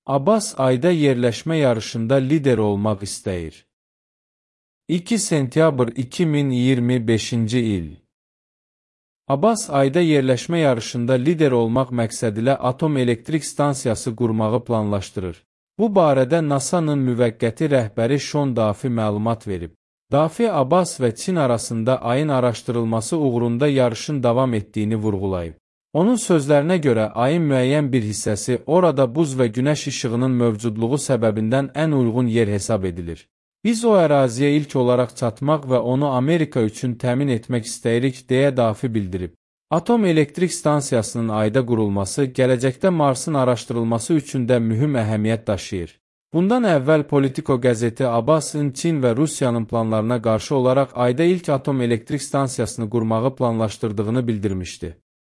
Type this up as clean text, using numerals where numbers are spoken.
Abbas ayda yerləşmə yarışında lider olmaq istəyir. 2 sentyabr 2025-ci il. Abbas ayda yerləşmə yarışında lider olmaq məqsədilə atom elektrik stansiyası qurmağı planlaşdırır. Bu barədə NASA-nın müvəqqəti rəhbəri Şon Dafi məlumat verib. Dafi Abbas və Çin arasında ayın araşdırılması uğrunda yarışın davam etdiyini vurğulayıb. Onun sözlərinə görə ayın müəyyən bir hissəsi orada buz və günəş işığının mövcudluğu səbəbindən ən uyğun yer hesab edilir. Biz o əraziyə ilk olaraq çatmaq və onu Amerika üçün təmin etmək istəyirik, deyə Dafi bildirib. Atom elektrik stansiyasının ayda qurulması gələcəkdə Marsın araşdırılması üçün də mühüm əhəmiyyət daşıyır. Bundan əvvəl Politico qəzeti Abbasın Çin və Rusiyanın planlarına qarşı olaraq ayda ilk atom elektrik stansiyasını qurmağı planlaşdırdığını bildirmişdi.